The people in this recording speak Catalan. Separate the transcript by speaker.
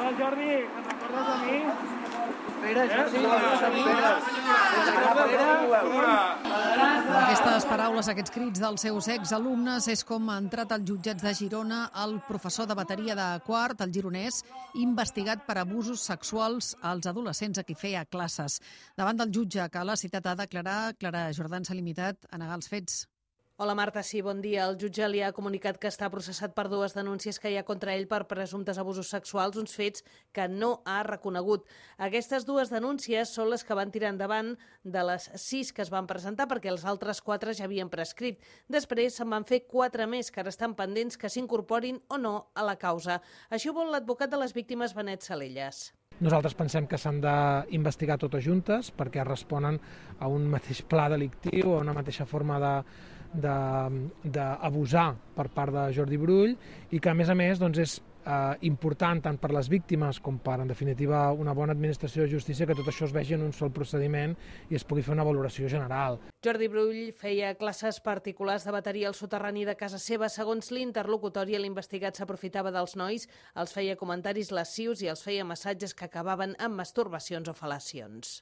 Speaker 1: Hola, Jordi, te'n recordes de mi?
Speaker 2: Amb aquestes paraules, aquests crits dels seus exalumnes és com ha entrat als jutjats de Girona el professor de bateria de quart, el gironès, investigat per abusos sexuals als adolescents a qui feia classes. Davant del jutge que l'ha citat a declarar, Clara Jordán s'ha limitat a negar els fets.
Speaker 3: Hola Marta, sí, bon dia. El jutge li ha comunicat que està processat per 2 denúncies que hi ha contra ell per presumptes abusos sexuals, uns fets que no ha reconegut. Aquestes 2 denúncies són les que van tirar endavant de les 6 que es van presentar, perquè els altres 4 ja havien prescrit. Després se'n van fer 4 més que ara estan pendents que s'incorporin o no a la causa. Això vol l'advocat de les víctimes, Benet Salelles.
Speaker 4: Nosaltres pensem que s'han d'investigar totes juntes perquè responen a un mateix pla delictiu, a una mateixa forma d'abusar per part de Jordi Brull i que, a més, és important tant per les víctimes com per, en definitiva, una bona administració de justícia que tot això es vegi en un sol procediment i es pugui fer una valoració general.
Speaker 3: Jordi Brull feia classes particulars de bateria al soterrani de casa seva. Segons l'interlocutori, l'investigat s'aprofitava dels nois, els feia comentaris lascius i els feia massatges que acabaven amb masturbacions o fel·lacions.